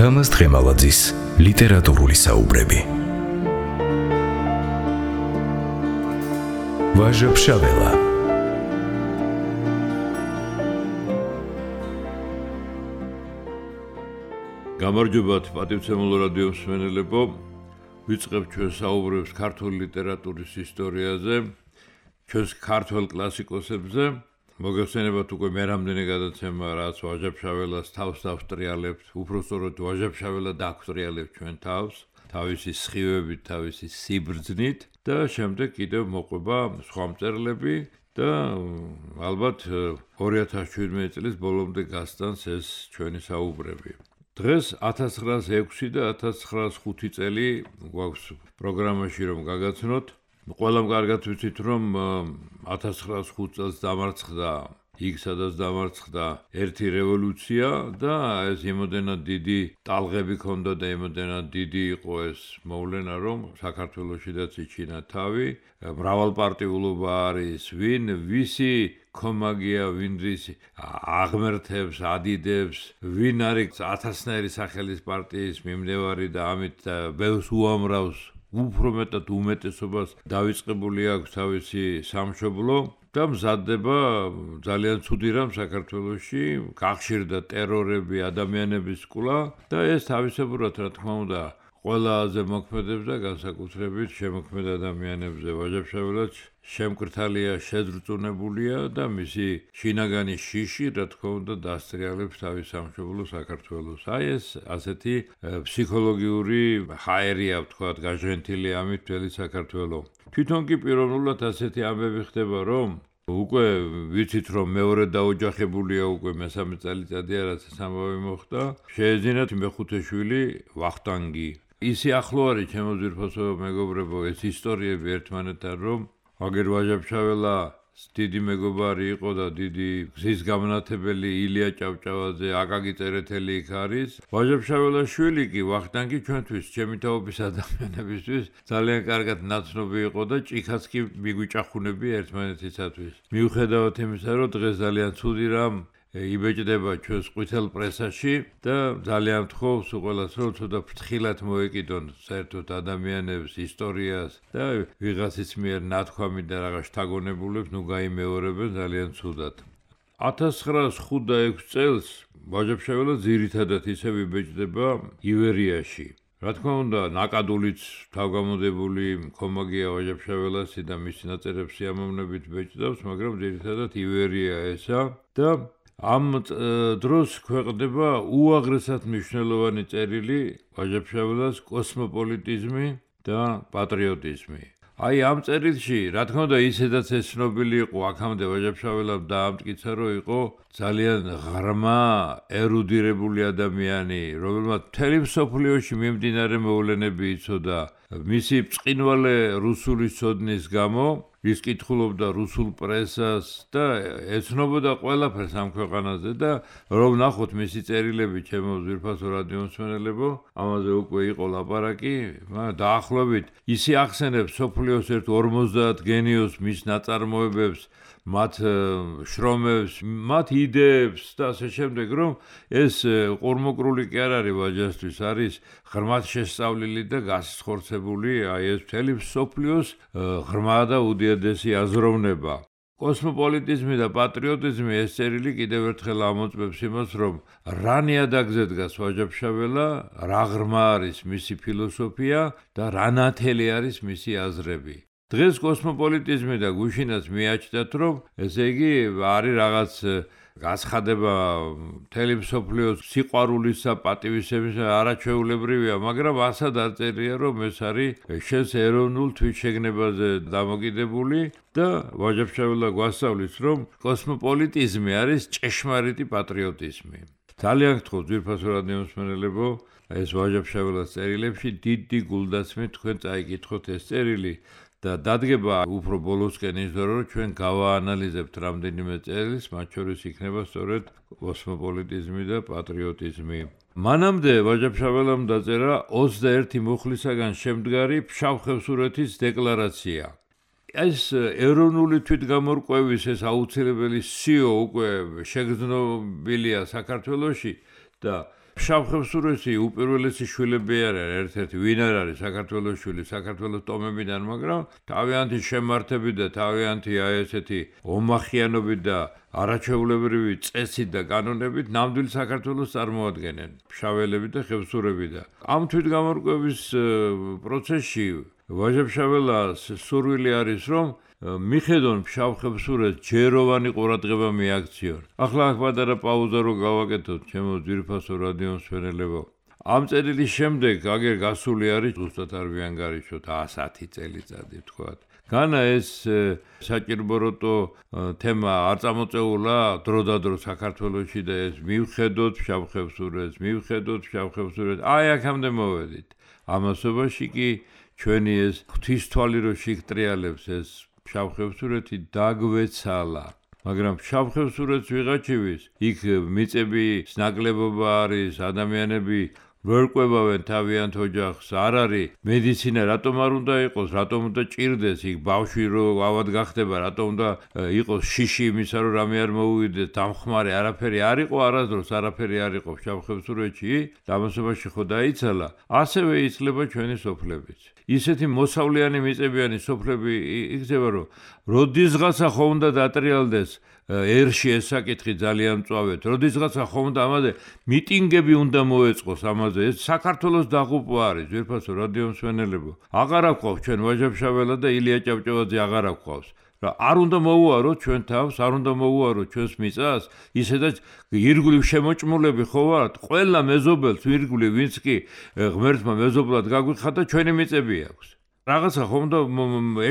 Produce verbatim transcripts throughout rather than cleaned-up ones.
თამაზ დღემალაძის ლიტერატურული საუბრები. ვაჟა-ფშაველა. გამარჯობათ პატივცემულო რადიო მსმენელებო, ვიწყებ ჩვენს საუბრებს ქართული ლიტერატურის ისტორიაზე, ჩვენს ქართველ კლასიკოსებზე. მოგეხსენებათ უკვე მე რამდენი გადაცემა, რაც ვაჟა-ფშაველას თავს დავსტრიალებთ, უпростоროდ ვაჟა-ფშაველა დაგვსტრიალებთ ჩვენ თავს, თავისი სხივებით, თავისი სიბრძნით და შემდეგ კიდევ მოყვება სხვა მწერლები და ალბათ ორი ათას შვიდმეტი წლის ბოლომდე გასტანს ეს ჩვენი საუბრები. დღეს ათას ცხრაას ექვსი და ათას ცხრაას ხუთი წელი გვაქვს პროგრამაში რომ გაგაცნოთ. ყველამ კარგად ვიცით რომ ათას ცხრაას ხუთ წელს დამარცხდა იქ სადაც დამარცხდა ერთი რევოლუცია და ეს იმოდენად დიდი ტალღები ჰქონდა და იმოდენად დიდი იყო ეს მოვლენა რომ საქართველოშიდაც იჩინა თავი. მრავალპარტიულობა არის, ვინ ვისი კომაგია, ვინ ვის აღმერთებს, ადიდებს, ვინ არის ათასნაირი სახელის პარტიის მიმდევარი და ამით ბევრს უამრავს, უფრო მეტად უმეტესობას დავიწყებული აქვს თავისი სამშობლო და მზადდება ძალიან ცუდი რამ საქართველოში, გახშირდა ტერორები, ადამიანების სკულა და ეს თავისებურად რა თქმა უნდა ყველაზე მოქმედებს და განსაკუთრებით შემოქმედ ადამიანებზე. ვაჟა-ფშაველაც შემკრთალია, შეძრწუნებულია და მისი შინაგანი შიში რა თქმა უნდა დასტრიალებს თავის სამშობლო საქართველოს. აი ეს ასეთი ფსიქოლოგიური ჰაერია ვთქვათ, გაჟღენთილი ამით მთელი საქართველო. თვითონ კი პიროვნულად ასეთი ამბები ხდება რომ უკვე ვიცით რომ მეორე დაოჯახებულია უკვე მესამე წელიწადია რაც ეს ამბავი მოხდა. შეეძინათ მეხუთე შვილი ვახტანგი. ისი ახლო არის ჩემო ძვირფასო მეგობრებო ეს ისტორიები ერთმანეთთან რომ აგერ ვაჟა-ფშაველა დიდი მეგობარი იყო და დიდი გზის გამნათებელი ილია ჭავჭავაძე, აკაკი წერეთელი იქ არის. ვაჟა-ფშაველას შვილი კი ვახტანგი ჩვენთვის, ჩემი თაობის ადამიანებისთვის ძალიან კარგად ნაცნობი იყო და ჭიქაც კი მიგვიჭახუნებია ერთმანეთისათვის. მიუხედავად იმისა, რომ დღეს ძალიან ცუდი რამ იბეჭდება ჩვენს ყვითელ პრესაში და ძალიან ვთხოვს ყველას რომ ცოტა ფრთხილად მოეკიდონ საერთოდ ადამიანებს, ისტორიას და ვიღაცის მიერ ნათქვამი და რაღაც შთაგონებულებს ნუ გაიმეორებენ ძალიან ცუდად. ათას ცხრაას ხუთ და ექვსი წელს ვაჟა-ფშაველა ძირითადად ისევ იბეჭდება ივერიაში. რა თქმა უნდა, ნაკადულიც თავგამოდებული კომაგია ვაჟა-ფშაველასი და მისი ნაწერებს სიამოვნებით ბეჭდავს, მაგრამ ძირითადად ივერია ესა და ამ დროს ქვეყნდება უაღრესად მნიშვნელოვანი წერილი ვაჟა-ფშაველას კოსმოპოლიტიზმი და პატრიოტიზმი. აი ამ წერილში, რა თქმა უნდა, ისედაც ეს ცნობილი იყო, აქამდე ვაჟა-ფშაველამ დაამტკიცა, რომ იყო ძალიან ღრმა, ერუდირებული ადამიანი, რომელმაც მთელი მსოფლიოში მიმდინარე მოვლენები იცოდა. მისი ბრწყინვალე რუსული ცოდნის გამო ის კითხულობდა რუსულ პრესას და ეცნობოდა ყველაფერს ამ ქვეყანაზე და რომ ნახოთ მისი წერილები ჩემო ძვირფასო რადიო მსმენელებო, ამაზე უკვე იყო ლაპარაკი, დაახლოებით ისი ახსენებს სოფლიოს ერთ ორმოცდაათ გენიოს მის ნაწარმოებებს, მათ შრომებს, მათ იდეებს და ასე შემდეგ, რომ ეს ყურმოკრული კი არ არის ვაჟასთვის, არის ღრმად შესწავლილი და გასხორცებული, აი ეს მთელი მსოფლიოს ღრმა და უდიადესი აზროვნება. კოსმოპოლიტიზმი და პატრიოტიზმი ეს წერილი კიდევ ერთხელ ამოწმებს იმას, რომ რა ნიადაგზე დგას ვაჟა-ფშაველა, რა ღრმა არის მისი ფილოსოფია და რა ნათელი არის მისი აზრები. დღეს კოსმოპოლიტიზმი და გუშინაც მიაჩნდათ, რომ ესე იგი არის რაღაც გაცხადება მთელი მსოფლიოს სიყვარულისა, პატივისცემის არაჩვეულებრივია, მაგრამ ასად არ წერია, რომ ეს არის შენს ეროვნულ თვითშეგნებაზე დამოკიდებული და ვაჟა-ფშაველა გვასწავლის, რომ კოსმოპოლიტიზმი არის ჭეშმარიტი პატრიოტიზმი. ძალიან გთხოვთ ძვირფასო რადიო მსმენელებო, ეს ვაჟა-ფშაველას წერილებში დიდი გულდასმით თქვენ წაიკითხოთ ეს წერილი. და დადგება უფრო ბოლოსკენ ის დრო რომ ჩვენ გავაანალიზებთ რამდენიმე წერილს, მათ შორის იქნება სწორედ კოსმოპოლიტიზმი და პატრიოტიზმი. მანამდე ვაჟა-ფშაველამ დაწერა ოცდაერთი მუხლისაგან შემდგარი ფშავ-ხევსურეთის დეკლარაცია. ეს ეროვნული თვითგამორკვევის ეს აუცილებელი სიო უკვე შეგრძნობილია საქართველოში და ფშავ-ხევსურეთი უპირველესი შვილები არ არის, ერთ-ერთი ვინ არ არის საქართველოს შვილი, საქართველოს ტომებიდან, მაგრამ თავიანთი შემართებით და თავიანთი აი ესეთი ომახიანობით და არაჩვეულებრივი წესით და კანონებით ნამდვილ საქართველოს წარმოადგენენ ფშაველები და ხევსურები და ამ თვითგამორკვევის პროცესში ვაჟა-ფშაველას სურვილი არის რომ მიხედონ ფშავ-ხევსურეთს ჯეროვანი ყურადღება მიაქციონ. ახლა აქ პატარა პაუზა რო გავაკეთოთ ჩემო ძვირფასო რადიო მსმენელებო. ამ წერილის შემდეგ აგერ გასული არის ზუსტად არ ვიანგარიშოთ ასათი წელიწადი ვთქვათ. განა ეს საჭირობროტო თემა არ წამოწეულა დროდადრო საქართველოში და ეს მივხედოთ ფშავ-ხევსურეთს, მივხედოთ ფშავ-ხევსურეთს. აი აქამდე მოვედით. ამასობაში კი ჩვენი ეს ღვთისთვალი რო შიგტრიალებს ეს ფშავ-ხევსურეთი დაგვეცალა. მაგრამ ფშავ-ხევსურეთს ვიღაჩივის, იქ მიწები ნაკლებობა არის, ადამიანები ვერ ყვებავენ თავიანთ ოჯახს, არ არის მედიცინა რატომ არ უნდა იყოს, რატომ უნდა ჭირდეს იქ ბავშვი რო ავად გახდება, რატომ უნდა იყოს შიში იმისა რომ რამე არ მოუვიდეს, დამხმარე არაფერი არ იყო არასდროს, არაფერი არ იყო ფშავ-ხევსურეთში, დამასობაში ხო დაიცალა, ასევე იცლება ჩვენი სოფლებიც. ისეთი მოსავლიანი მიწებიანი სოფლები იქნება რომ როდისღაცა ხო უნდა დატრიალდეს ერში ეს საკითხი ძალიან მწვავეთ. როდისღაცა ხო უნდა ამაზე მიტინგები უნდა მოეწყოს ამაზე. ეს საქართველოს დაღუპვა არის, ძვირფასო რადიო მსმენელებო. აღარ აქვს ჩვენ ვაჟა-ფშაველა და ილია ჭავჭავაძე აღარ აქვს. რა არ უნდა მოუაროთ ჩვენ თავს, არ უნდა მოუაროთ ჩვენს მიწას, ისედაც ირგვლივ შემოჭმულები ხო ვართ, ყველა მეზობელს ირგვლივ ვინც კი ღმერთმა მეზობლად გაგვიხადა ჩვენი მიწები აქვს. რაღაცა ხომ და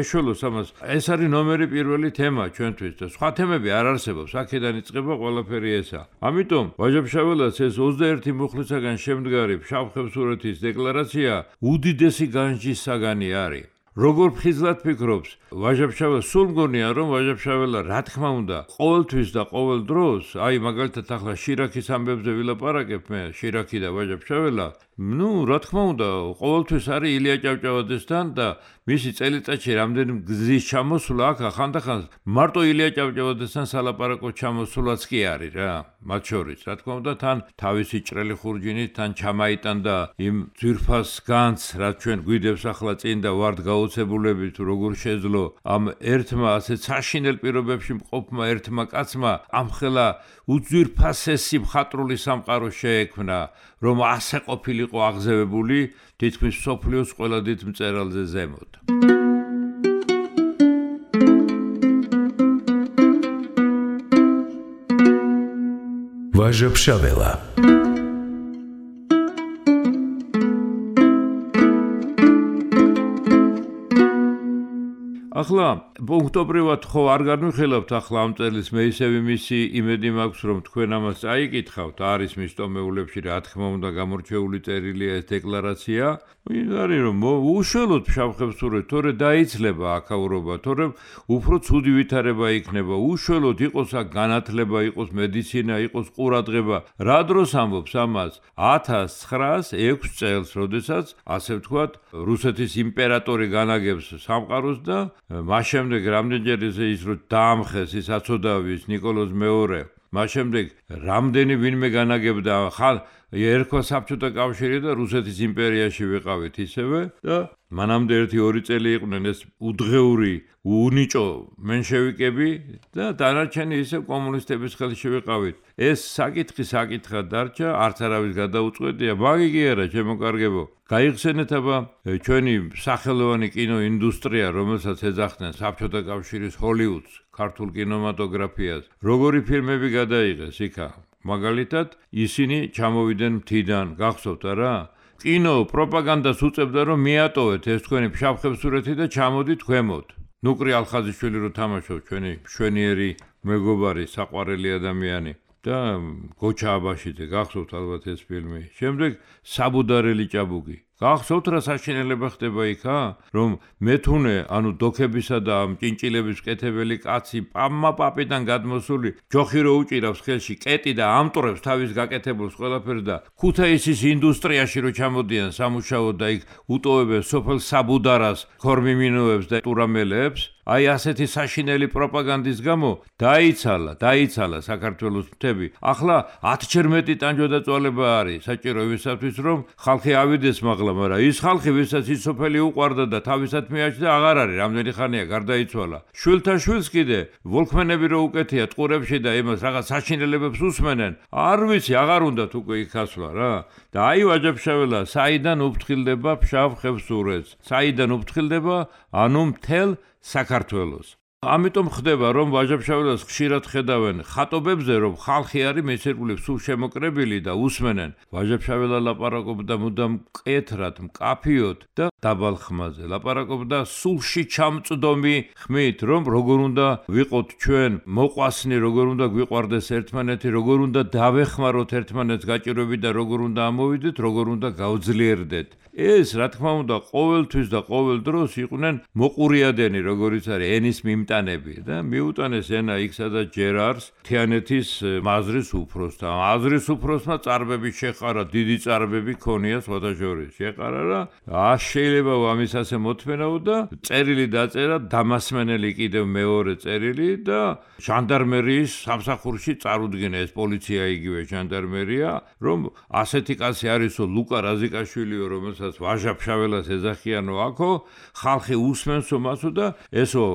ეშველოს ამას. ეს არის ნომერი პირველი თემა ჩვენთვის და სხვა თემები არ არსებობს. აქედან იწყება ყველაფერი ესა. ამიტომ ვაჟა-ფშაველას ეს ოცდაერთი მუხლისაგან შემდგარი ფშავ-ხევსურეთის დეკლარაცია უდიდესი განჯის საგანი არის. როგორ ფხიზლად ფიქრობს ვაჟა-ფშაველა, სულ მგონია რომ ვაჟა-ფშაველა რა თქმა უნდა ყოველთვის და ყოველ დროს, აი მაგალითად ახლა შირაქის ამბებზე ვილაპარაკებ მე, შირაქი და ვაჟა-ფშაველა, ну, რა თქმა უნდა, ყოველთვის არის ილია ჭავჭავაძესთან და მისი წელიწადში რამდენი გზის ჩამოსვლა აქ ხანდახან მარტო ილია ჭავჭავაძესთან სალაპარაკო ჩამოსვლაც კი არის რა, მათ შორის, რა თქმა უნდა, თან თავისი ჭრელი ხურჯინით თან ჩამაიტანდა იმ ძვირფას განს, რაც ჩვენ გვიდევს ახლა წინ და ვართ გაოცებულები თუ როგორ შეძლო ამ ერთმა ასე საშინელ პირობებში მყოფმა ერთმა კაცმა ამხელა უძვირფასესი მხატვრული სამყარო შეექმნა, რომ ასე ყოფილიყო აღზევებული თითქმის მსოფლიოს ყველა დიდ მწერალზე ზემოთ. ვაჟა-ფშაველა ახლა პუნქტობრივად ხო არ განვიხილავთ ახლა ამ წელს მე ისევ იმისი იმედი მაქვს რომ თქვენ ამას წაიკითხავთ არის მის ტომეულებში რა თქმა უნდა გამორჩეული წერილია ეს დეკლარაცია არის რომ უშუალოდ ფშავ-ხევსურეთს თორე დაიცლება აქაურობა თორე უფრო ცუდი ვითარება იქნება უშუალოდ იყოს აქ განათლება იყოს მედიცინა იყოს ყურადღება რა დროს ამბობს ამას ათას ცხრაას ექვს წელს როდესაც ასე ვთქვათ რუსეთის იმპერატორი განაგებს სამყაროს და მას შემდეგ რამდენჯერ ის რომ დაამხეს ის აცოდავის ნიკოლოზ მეორე მას შემდეგ რამდენი ვინმე განაგებდა ხალ ერქვა საბჭოთა კავშირი და რუსეთის იმპერიაში ვიყავით ისევე და მანამდე ერთი ორი წელი იყვნენ ეს უდღეული უნიჭო მენშევიკები და დანარჩენი ისე კომუნისტების ხელში ვიყავით ეს საკითხი საკითხად დარჩა არც არავის გადაუწყვეტია მაგი კი არა ჩემო კარგებო გაიხსენეთ აბა ჩვენი სახელოვანი კინოინდუსტრია რომელსაც ეძახდნენ საბჭოთა კავშირის ჰოლივუდს ქართულ კინემატოგრაფიას როგორი ფილმები გადაიღეს იქა მაგალითად ისინი ჩამოვიდნენ მთიდან გახსოვთ არა კინო პროპაგანდას უწევდა რომ მიატოვეთ ეს თქვენი ფშავ-ხევსურეთი და ჩამოდით ქვემოთ ნუკრი ალხაზიშვილი რო თამაშობს ჩვენი მშვენიერი მეგობარი საყვარელი ადამიანი და გოჩა აბაშიძე გახსოვთ ალბათ ეს ფილმი შემდეგ საბუდარელი ჭაბუკი გახსოვთ რა საშინელება ხდება იქა, რომ მეთუნე, ანუ დოქებისა და ჭინჭილების მკეთებელი კაცი პამმა პაპიდან გადმოსული ჯოხი რო უჭირავს ხელში კეტი და ამტვრებს თავის გაკეთებულს ყველაფერს და ქუთაისის ინდუსტრიაში რო ჩამოდიან სამუშაოდ და იქ უტოვებენ სოფელ საბუდარას ქორმიმინოებს და ტურამელებს, აი ასეთი საშინელი პროპაგანდის გამო დაიცალა, დაიცალა საქართველოს მთები. ახლა ათჯერ მეტი ტანჯვადაწვალება არის საჭირო ვისათვის რომ ხალხი ავიდეს მაღლა, მაგრამ ის ხალხი ვისაც ის სოფელი უყვარდა და თავისად მიაჩნდა აღარ არის, რამდენი ხანია გარდაიცვალა. შვილთა შვილს კიდე ვოლკმენები რო უკეთია ტყურებში და იმას რაღაც საშინელებებს უსმენენ, არ ვიცი, აღარ უნდათ უკვე იქ ასვლა რა. და აი ვაჯაბშაველა, საიდან უფრთხილდება ფშავ ხევსურეთს, საიდან უფრთხილდება, ანუ მთელ საქართველოს. ამიტომ ხდება რომ ვაჯაბშაველას ხშირად ხედავენ ხატობებზე რომ ხალხი არის მეცერგული სულ შემოკრებილი და უსმენენ. ვაჯაბშაველა ლაპარაკობდა მუდამ მკეთრად, მკაფიოდ და დაბალ ხმაზე. ლაპარაკობდა სულში ჩამწდომი ხმით, რომ როგორ უნდა ვიყოთ ჩვენ მოყვასნი, როგორ უნდა გვიყვარდეს ერთმანეთი, როგორ უნდა დავეხმაროთ ერთმანეთს გაჭირვებით და როგორ უნდა ამოვიდეთ, როგორ უნდა გავძლიერდეთ. ეს რა თქმა უნდა ყოველთვის და ყოველ დროს იყვნენ მოყურიადენი, როგორიც არის ენის მიმტანები და მიუტანეს ენა იქ სადაც ჯერ არის თიანეთის მაზრის უფროსთან. მაზრის უფროსმა წარბები შეყარა, დიდი წარბები ქონია სხვადასხვა შეყარა რა. აშ შეიძლება ამის ასე მოთმენაო და წერილი დაწერა დამასმენელი კიდევ მეორე წერილი და ჟანდარმერიის სამსახურში წარუდგინა ეს პოლიცია იგივე ჟანდარმერია, რომ ასეთი კაცი არისო ლუკა რაზიკაშვილიო, რომელსაც ვაჟაბშაველას ეძახიანო აქო, ხალხი უსმენსო მასო და ესო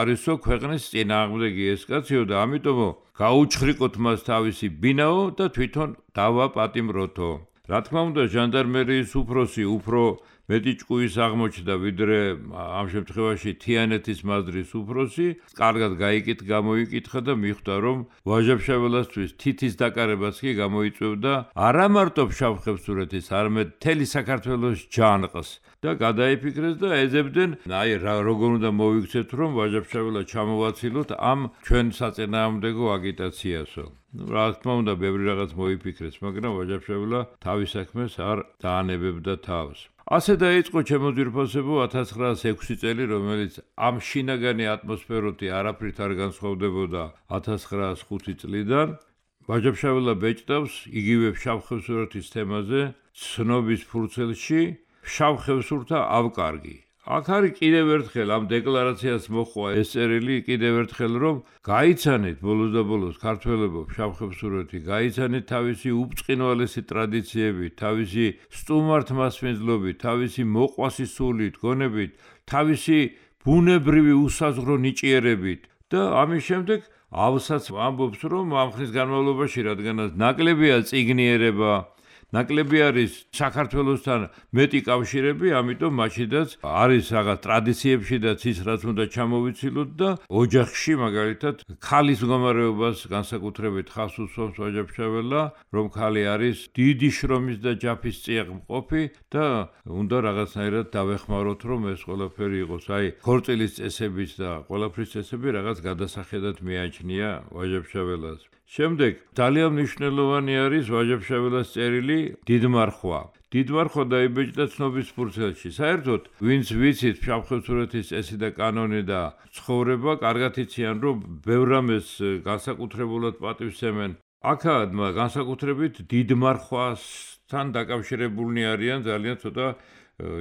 არისო ქვეყნის წინააღმდეგი ეს კაციო და ამიტომ გაუჩხრიკოთ მას თავისი ბინაო და თვითონ დავაპატიმროთო. რა თქმა უნდა ჟანდარმერიის უფროსი უფრო მეტი ჭკუის აღმოჩნდა ვიდრე ამ შემთხვევაში თიანეთის მაზრის უფროსი, კარგად გაიკით გამოიკითხა და მიხვდა რომ ვაჟაბშაველასთვის თითის დაკარებაც კი გამოიწვევდა არა მარტო ფშავ ხევსურეთის, არამედ მთელი საქართველოს ჯანყს და გადაიფიქრეს და ეძებდნენ, აი როგორ უნდა მოვიქცეთ რომ ვაჟაბშაველა ჩამოვაცილოთ ამ ჩვენ საწინააღმდეგო აგიტაციასო. რა თქმა უნდა ბევრი რაღაც მოიფიქრეს, მაგრამ ვაჟაბშაველა თავის საქმეს არ დაანებებდა თავს. ასე დაიწყო ჩემო ძვირფასებო ათას ცხრაასი ექვსი წელი, რომელიც ამ შინაგანი ატმოსფეროთი არაფრით არ განსხვავდებოდა ათას ცხრაასი ხუთი წლიდან. ვაჯაბშაველა ბეჭდავს იგივე ფშავ ხევსურეთის თემაზე ცნობის ფურცელში ფშავ ხევსურთა ავკარგი. აქ არის კიდევ ერთხელ ამ დეკლარაციას მოხვა ეს წერილი კიდევ ერთხელ რომ გაიცანით ბოლოს და ბოლოს ქართველებო ფშავ ხევსურეთი, გაიცანით თავისი უბწყინვალესი ტრადიციებით, თავისი სტუმართ მასპინძლობით, თავისი მოყვასი სულით, გონებით, თავისი ბუნებრივი უსაზღვრო ნიჭიერებით და ამის შემდეგ ავსაც ამბობს რომ ამ ხნის განმავლობაში რადგანაც ნაკლებია წიგნიერება, ნაკლები არის საქართველოსთან მეტი კავშირები, ამიტომ მაშიდაც არის რაღაც ტრადიციებშიდაც ის რაც უნდა ჩამოვიცილოთ და ოჯახში მაგალითად ქალის მდგომარეობას განსაკუთრებით ხავს უსვამს ვაჯაბშაველა, რომ ქალი არის დიდი შრომის და ჯაფის წიაღმყოფი და უნდა რაღაცნაირად დავეხმაროთ რომ ეს ყველაფერი იყოს. აი ქორწილის წესების და ყველაფრის წესები რაღაც გადასახედად მიაჩნია ვაჯაბშაველას. შემდეგ ძალიან მნიშვნელოვანი არის ვაჯაბშაველას წერილი დიდმარხვა. დიდმარხვა დაიბეჭდა ცნობის ფურცელში. საერთოდ ვინც ვიცით ფშავ ხევსურეთის წესი და კანონი და ცხოვრება, კარგად იციან რომ ბევრ რამეს განსაკუთრებულად პატივსცემენ. აქად განსაკუთრებით დიდმარხვასთან დაკავშირებულნი არიან ძალიან ცოტა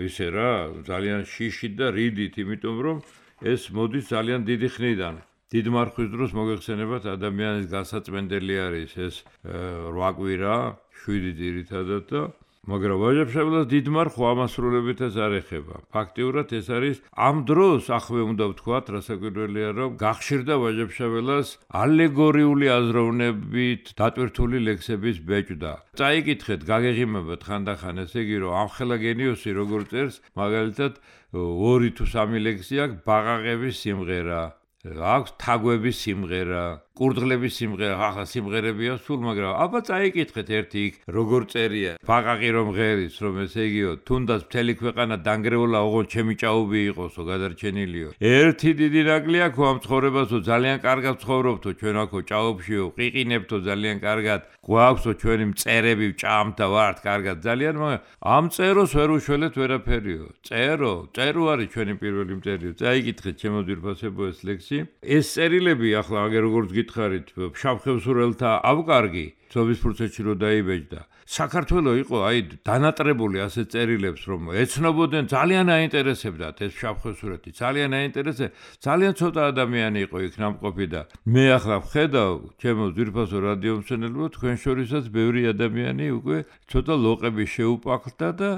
ისე რა, ძალიან შიშით და რიდით, იმიტომ რომ ეს მოდის ძალიან დიდი ხნიდან. დიდმარხვის დროს მოგეხსენებათ ადამიანის გასაწმენდელი არის ეს რვა კვირა, შვიდი ძირითადად და მაგრამ ვაჯაბშაველას დიდმარხვა ამასრულებითაც არ ეხება. ფაქტიურად ეს არის ამ დროს ახლა უნდა ვთქვათ, რასაკვირველია რომ გახშირდა ვაჯაბშაველას ალეგორიული აზროვნებით დატვირთული ლექსების ბეჭდა. წაიკითხეთ, გაგეღიმებათ ხანდახან, ესე იგი რომ ამხელა გენიოსი როგორ წერს, მაგალითად ორი თუ სამი ლექსი აქვს ბაყაყების სიმღერა. აქვს თაგვების სიმღერა, კურდღლების სიმღერა, ახლა სიმღერებია სულ, მაგრამ აბა წაიკითხეთ ერთი იქ როგორ წერია. ბაყაყი რომ ღერის, რომ ესე იგიო, თუნდაც მთელი ქვეყანა დანგრეულა, ოღონდ ჩემი ჭაობი იყოსო, გადარჩენილიო. ერთი დიდი ნაკლი აქვს ამ ცხოვრებასო, ძალიან კარგად ცხოვრობთო, ჩვენ აქო ჭაობშიო, ყიყინებთო ძალიან კარგად. გვაქვსო ჩვენი მწერები, ჭამთა ვართ კარგად ძალიან, მაგრამ ამ წეროს ვერ უშველეთ ვერაფერიო. წერო, წერო არის ჩვენი პირველი მტერიო. წაიკითხეთ ჩემო ძვირფასებო ეს ლექსი. ეს წერილები ახლა აგერ როგორც გითხარით, ფშავ-ხევსურელთა ავკარგი, ცობის პროცესში რო დაიბეჭდა. საქართველოს იყო აი დანატრებული ასეთ წერილებს, რომ ეცნობოდნენ, ძალიან აინტერესებდათ ეს ფშავ-ხევსურეთი, ძალიან აინტერესე, ძალიან ცოტა ადამიანი იყო იქ ნამყოფი და მე ახლა ვხედავ, ჩემო ძვირფასო რადიო მსმენელებო, თქვენ შორისაც ბევრი ადამიანი უკვე ცოტა ლოყები შეუპაკლდა და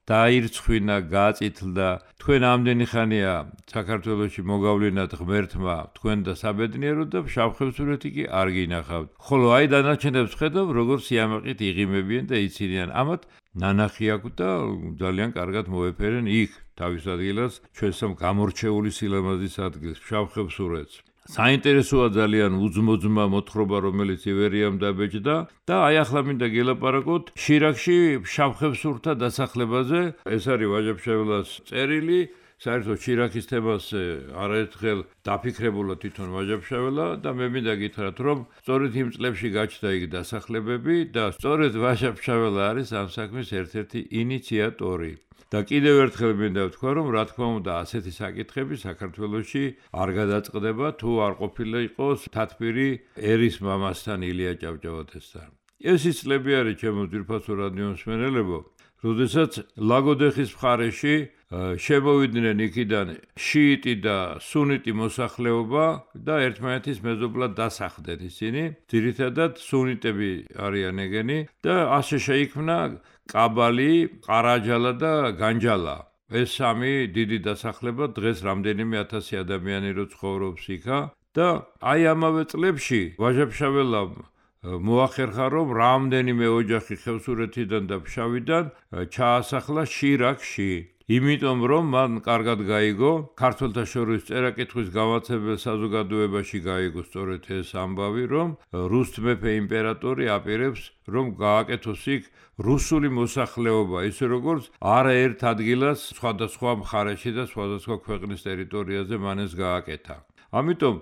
დაირცხვინა, გაწითლდა. თქვენ ამდენი ხანია საქართველოში მოგავლინათ ღმერთმა, თქვენ და საბედნიეროდ და ფშავ-ხევსურეთი კი არ გინახავთ. ხოლო აი დანარჩენებს ხედავ, როგორ სიამაყით იღიმებიან და იცინიან. ამათ ნანახი აქვს და ძალიან კარგად მოეფერენ იქ თავის ადგილას, ჩვენსამ გამორჩეული სილამაზის ადგილს, ფშავ-ხევსურეთს. საინტერესოა ძალიან უძმოძმა მოთხრობა, რომელიც ივერიამ დაბეჭდა და აი ახლა მინდა გელაპარაკოთ შირაქში ფშავ-ხევსურთა დასახლებაზე. ეს არის ვაჟა-ფშაველას წერილი. საერთოდ შირაქის თემას არაერთხელ დაფიქრებულა თვითონ ვაჟა-ფშაველა და მე მინდა გითხრათ, რომ სწორედ იმ წლებში გაჩნდა იქ დასახლებები და სწორედ ვაჟა-ფშაველა არის ამ საქმის ერთ-ერთი ინიციატორი. და კიდევ ერთხელ მინდა ვთქვა, რომ რა თქმა უნდა ასეთი საკითხები საქართველოში არ გადაწყდება, თუ არ ყოფილა იყოს თათბირი ერის მამასთან ილია ჭავჭავაძესთან. ეს ის წლები არის ჩემო ძვირფასო რადიო მსმენელებო, როდესაც ლაგოდეხის მხარეში შემოვიდნენ იქიდან შიიტი და სუნიტი მოსახლეობა და ერთმანეთის მეზობლად დასახლდნენ ისინი. ძირითადად სუნიტები არიან ეგენი და ასე შეიქმნა კაბალი, ყარაჯალა და განჯალა. ეს სამი დიდი დასახლება დღეს რამდენიმე ათასი ადამიანი რო ცხოვრობს იქა და აი ამავე წლებში ვაჟა-ფშაველამ მოახერხა, რომ რამდენიმე ოჯახი ხევსურეთიდან და ფშავიდან ჩაასახლა შირაქში. იმიტომ რომ მან კარგად გაიგო, ქართველთა შორის წერა-კითხვის გამაცემელ საზოგადოებაში გაიგო სწორედ ეს ამბავი, რომ რუს მეფე იმპერატორი აპირებს, რომ გააკეთოს იქ რუსული მოსახლეობა, ისე როგორც არაერთ ადგილას სხვადასხვა მხარეში და სხვადასხვა ქვეყნის ტერიტორიაზე მან ეს გააკეთა. ამიტომ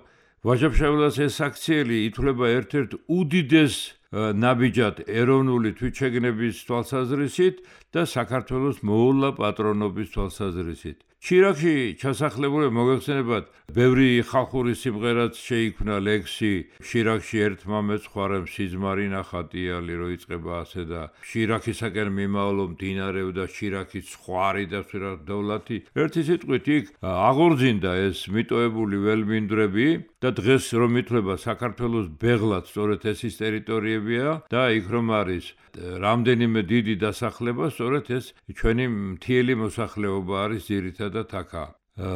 ვაჟა-ფშაველას ეს აქციელი ითვლება ერთ-ერთ უდიდეს ნაბიჯად ეროვნული თვითშეგნების თვალსაზრისით და საქართველოს მოულა პატრონობის თვალსაზრისით. შირაქში ჩასახლებული მოგეხსენებათ, ბევრი ხალხური სიმღერაც შეიქმნა ლექსი შირაქში ერთმა მეცხვარემ სიზმარი ნახატიალი რო იწყება ასე და შირაქისაკენ მიმავლო მდინარეო და შირაქის ხვარი და დოვლათი. ერთი სიტყვით იქ აღორძინდა ეს მიტოვებული ველმინდვრები და დღეს რომ ითვლება საქართველოს ბეღლად სწორედ ეს ის ტერიტორიებია და იქ რომ არის რამდენიმე დიდი დასახლება, სწორედ ეს ჩვენი მთიელი მოსახლეობა არის ძირითადად აქა.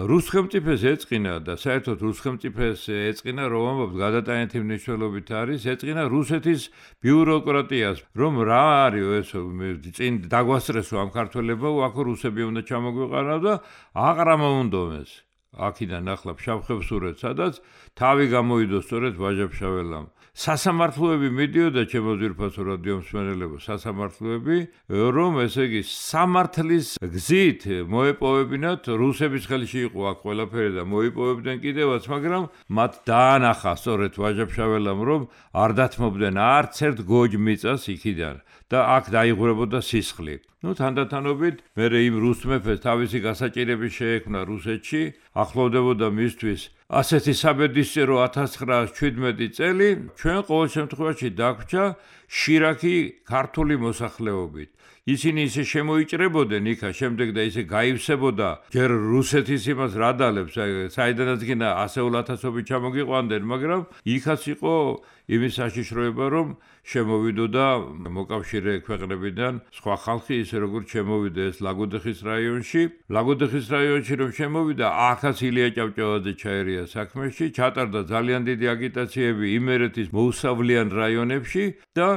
რუს ხელმწიფეს ეწყინა და საერთოდ რუს ხელმწიფეს ეწყინა, რომ ამბობთ გადატანითი მნიშვნელობით არის, ეწყინა რუსეთის ბიუროკრატიას, რომ რა არის ეს წინ დაგვასწრესო ამ ქართველებო, აქ რუსები უნდა ჩამოგვიყარავ და აყრამა უნდომეს. აქედან ახლა ფშავ-ხევსურეთს, სადაც თავი გამოიდო სწორედ ვაჟა-ფშაველამ. სასამართლოები მიდიოდა ჩემო ძვირფასო რადიო მსმენელებო, სასამართლოები, რომ ესე იგი სამართლის გზით მოეპოვებინათ, რუსების ხელში იყო აქ ყველაფერი და მოიპოვებდნენ კიდევაც, მაგრამ მათ დაანახა სწორედ ვაჟა-ფშაველამ, რომ არ დათმობდნენ არც ერთ გოჯ მიწას იქიდან და აქ დაიღურებოდა სისხლი. ნუ თანდათანობით მერე იმ რუს მეფეს თავისი გასაჭირები შეექმნა რუსეთში, ახლოვდებოდა მისთვის ასეთი საბედისწერო ათას ცხრაას შვიდმეტი წელი, ჩვენ ყოველ შემთხვევაში დაგვრჩა შირაქი ქართული მოსახლეობით. ისინი ისე შემოიჭრებოდნენ იქა შემდეგ და ისე გაივსებოდა ჯერ რუსეთის იმას რადალებს, საიდანაც გინდა ასეულ ათასობით ჩამოგიყვანდნენ, მაგრამ იქაც იყო იმის საშიშროება, რომ შემოვიდოდა მოკავშირე ქვეყნებიდან სხვა ხალხი, ისე როგორც შემოვიდა ეს ლაგოდეხის რაიონში. ლაგოდეხის რაიონში რომ შემოვიდა, ახაც ილია ჭავჭავაძე ჩაერია საქმეში, ჩატარდა ძალიან დიდი აგიტაციები იმერეთის მოუსავლიან რაიონებში და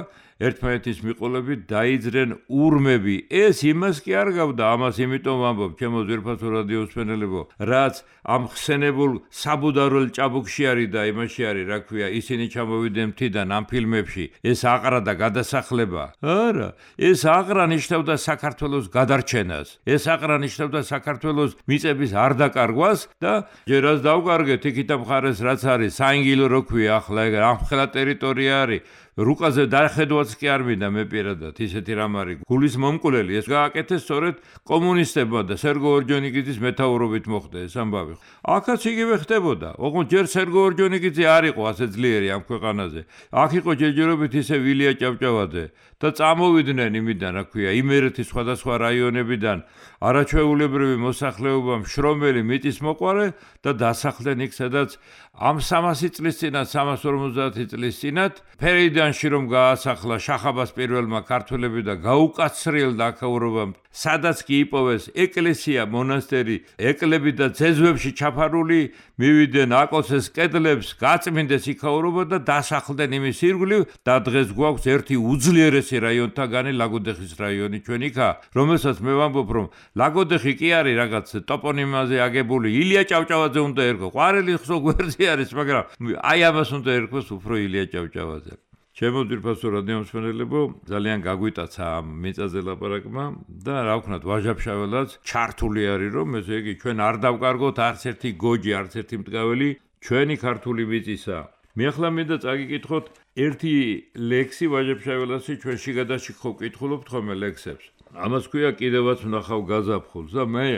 ერთმანეთის მიყოლებით დაიძრენ ურმები. ეს იმას კი არ გავდა, ამას იმიტომ ვამბობ, ჩემო ძვირფასო რადიო მსმენელებო, რაც ამ ხსენებულ საბუდარულ ჭაბუკში არის და იმაში არის, რა ქვია, ისინი ჩამოვიდნენ მთიდან ამ ფილმებში. ეს აყრა და გადასახლება. არა, ეს აყრა ნიშნავდა საქართველოს გადარჩენას. ეს აყრა ნიშნავდა საქართველოს მიწების არ დაკარგვას და ჯერაც დავკარგეთ იქით ამ მხარეს რაც არის, საინგილო რო ქვია ახლა ეგ ამხელა ტერიტორია არის. რუკაზე დახედვაც კი არ მინდა მე პირადად ისეთი რამ არის გულის მომკვლელი ეს გააკეთეს სწორედ კომუნისტებმა და სერგო ორჯონიკიძის მეთაურობით მოხდა ეს ამბავი. აქაც იგივე ხდებოდა. ოღონდ ჯერ სერგო ორჯონიკიძე არ იყო ასე ძლიერი ამ ქვეყანაზე. აქ იყო ჯერჯერობით ისე ვილია ჭავჭავაძე და წამოვიდნენ იმიდან, რა ქვია, იმერეთის სხვადასხვა რაიონებიდან არაჩვეულებრივი მოსახლეობა მშრომელი მიწის მოყვარე და დასახლდნენ იქ, სადაც ამ სამასი წლის წინათ, სამას ორმოცდაათი წლის წინათ ფერეიდანში რომ გაასახლა შახაბას პირველმა ქართველები და გაუკაცრიელდა აქაურობამ, სადაც კი იპოვეს ეკლესია, მონასტერი, ეკლები და ძეძვებში ჩაფარული, მივიდნენ აკოცეს კედლებს, გაწმინდეს იქაურობა და დასახლდნენ იმის ირგვლივ და დღეს გვაქვს ერთი უძლიერესი რაიონთაგანი ლაგოდეხის რაიონი ჩვენ იქა, რომელსაც მე ვამბობ, რომ ლაგოდეხი კი არის რაღაც ტოპონიმაზე აგებული, ილია ჭავჭავაძე უნდა ერქვა, ყვარელი ხსო გვერდზე არის, მაგრამ აი ამას უნდა ერქვას უფრო ილია ჭავჭავაძე. ჩემო ძვირფასო რადიო მსმენელებო, ძალიან გაგვიტაცა ამ მიწაზე ლაპარაკმა და რა ვქნათ, ვაჟა-ფშაველაც ჩართული არის, რომ ესე იგი ჩვენ არ დავკარგოთ არც ერთი გოჯი, არც ერთი მტგაველი ჩვენი ქართული მიწისა. მე ახლა მინდა წაგიკითხოთ ერთი ლექსი ვაჟა-ფშაველასი ჩვენ შიგადაში ხო ვკითხულობთ ხოლმე ლექსებს. ამას ქვია კიდევაც ვნახავ გაზაფხულს და მე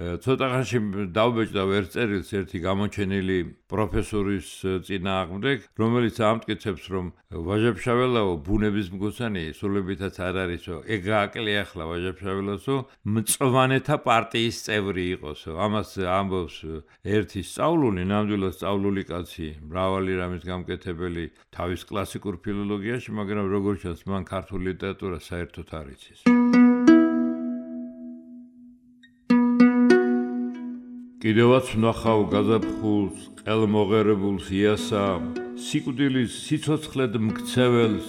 ცოტა ხანში დავბეჭდა ერთ წერილს ერთი გამოჩენილი პროფესორის წინააღმდეგ, რომელიც ამტკიცებს, რომ ვაჟა-ფშაველაო ბუნების მგოსანი სულებითაც არ არისო, ეგ გააკლია ახლა ვაჟა-ფშაველასო, მწვანეთა პარტიის წევრი იყოსო. ამას ამბობს ერთი სწავლული, ნამდვილად სწავლული კაცი, მრავალი რამის გამკეთებელი თავის კლასიკურ ფილოლოგიაში, მაგრამ როგორც ჩანს, მან ქართული ლიტერატურა საერთოდ არ იცის. კიდევაც ვნახავ გაზაფხულს, ყელმოღერებულს იასა, სიკვდილის სიცოცხლედ მქცეველს,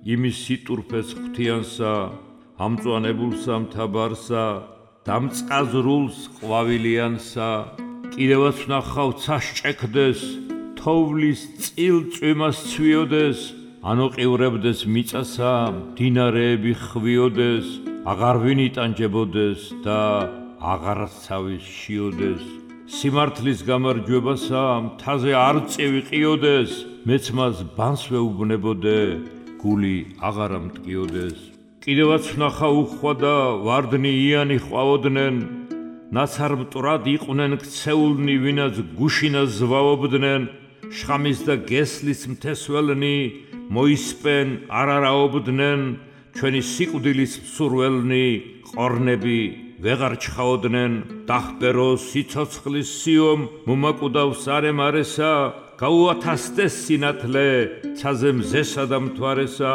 იმის სიტურფეს ღვთიანსა, ამწვანებულსა მთაბარსა, დამწყაზრულს ყვავილიანსა, კიდევაც ვნახავ ცაშჭექდეს, თოვლის წილ წვიმას ცვიოდეს, ანოყივრებდეს მიწასა, მდინარეები ხვიოდეს, აღარ ვინ იტანჯებოდეს და აღარცავის შიოდეს, სიმართლის გამარჯვებასა მთაზე არ წევიყიოდეს, მეც მას ბანს ვეუბნებოდე, გული აღარა მტკიოდეს. კიდევაც ვნახავ უხვადა ვარდნი იანი ყვავოდნენ, ნაცარ მტრად იყვნენ ქცეულნი, ვინაც გუშინას ზვავობდნენ, შხამის და გესლის მთესველნი, მოისპენ არარაობდნენ, ჩვენი სიკვდილის მსურველნი, ყორნები ვეღარ ჩხაოდნენ, დახპერო სიცოცხლის სიომ, მომაკუდავს არემარესა, გაუათასდეს სინათლე, ცაზე მზესა და მთვარესა,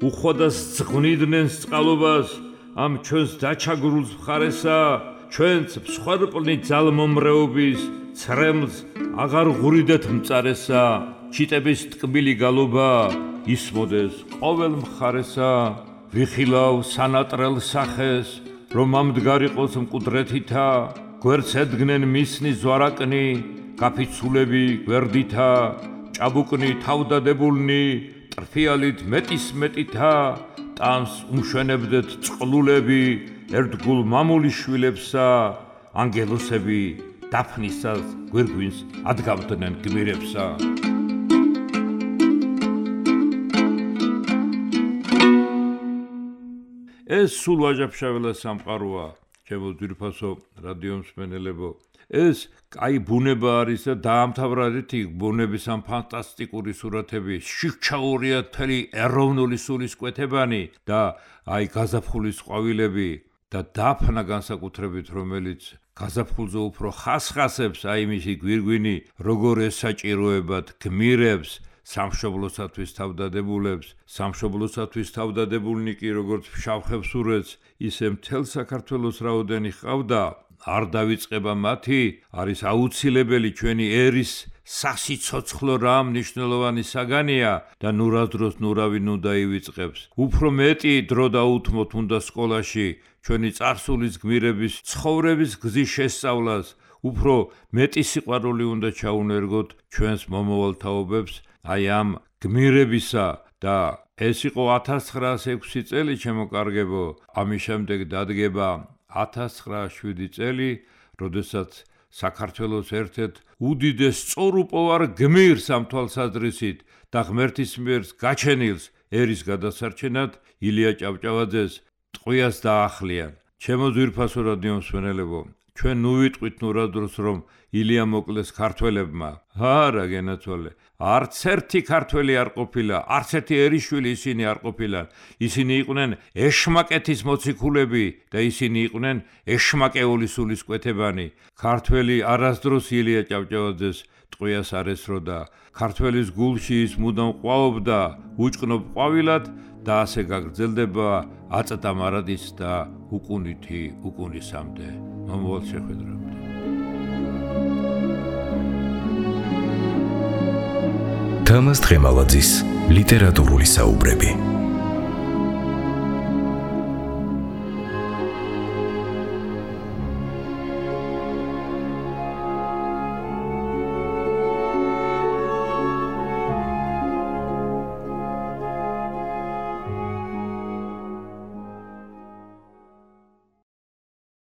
უხვადას ძღვნიდნენ წყალობას, ამ ჩვენს დაჩაგრულს მხარესა, ჩვენც მსხვერპლნი ძალმომრეობის, ცრემლს აღარ ღურიდეთ მწარესა, ჩიტების ტკბილი გალობა, ისმოდეს ყოველ მხარესა, ვიხილავ სანატრელ სახეს, რომ ამდგარიყოს მკვდრეთითა, გვერდს ედგნენ მისნის ზვარაკნი, გაფიცულები გვერდითა, ჭაბუკნი თავდადებულნი, ტრფიალით მეტის მეტითა, ტანს უმშვენებდეთ წყლულები, ერთგულ მამულიშვილებსა, ანგელოსები დაფნისას გვირგვინს ადგავდნენ გმირებსა. ეს სულ ვაჟა-ფშაველას სამყაროა, ჩემო ძვირფასო რადიო მსმენელებო. ეს კაი ბუნება არის და დაამთავრეთ იქ ბუნების ამ ფანტასტიკური სურათები, შიჩაურია თელი ეროვნული სულისკვეთებანი და აი გაზაფხულის ყვავილები და დაფნა განსაკუთრებით, რომელიც გაზაფხულზე უფრო ხასხასებს, აი მისი გვირგვინი, როგორ ესაჭიროებად გმირებს, სამშობლოსათვის თავდადებულებს, სამშობლოსათვის თავდადებულნი კი როგორც ფშავ-ხევსურეთს, ისე მთელ საქართველოს რაოდენი ჰყავდა, არ დავიწყება მათი, არის აუცილებელი ჩვენი ერის სასიცოცხლო რა მნიშვნელოვანი საგანია და ნურადროს ნურავი ნუ დაივიწყებს. უფრო მეტი დრო დაუთმოთ უნდა სკოლაში ჩვენი წარსულის გმირების ცხოვრების გზის შესწავლას, უფრო მეტი სიყვარული უნდა ჩაუნერგოთ ჩვენს მომავალ თაობებს აი ამ გმირებისა და ეს იყო ათას ცხრაასი ექვსი წელი ჩემოკარგებო. ამის შემდეგ დადგება ათას ცხრაასი შვიდი წელი, როდესაც საქართველოს ერთ-ერთ უდიდეს სწორუპოვარ გმირს ამ თვალსაზრისით და ღმერთის მიერ გაჩენილს ერის გადასარჩენად ილია ჭავჭავაძეს ტყვიას დაახლიან. ჩემო ძვირფასო რადიო მსმენელებო, ჩვენ ნუ ვიტყვით ნურადროს რომ ილია მოკლეს ქართველებმა. არა გენაცვალე, არც ერთი ქართველი არ ყოფილა, არც ერთიერიშვილი ისინი არ ყოფილან. ისინი იყვნენ ეშმაკეთის მოციქულები და ისინი იყვნენ ეშმაკეული სულისკვეთებანი. ქართველი არასდროს ილია ჭავჭავაძეს ტყვიას არ ესროდა. ქართველის გულში ის მუდამ ყვაობდა უჭყნობ ყვავილად და ასე გაგრძელდება აწდა მარადის და უკუნითი უკუნისამდე. მომავალ შეხვედრამდე. თამაზ დღემალაძის ლიტერატურული საუბრები.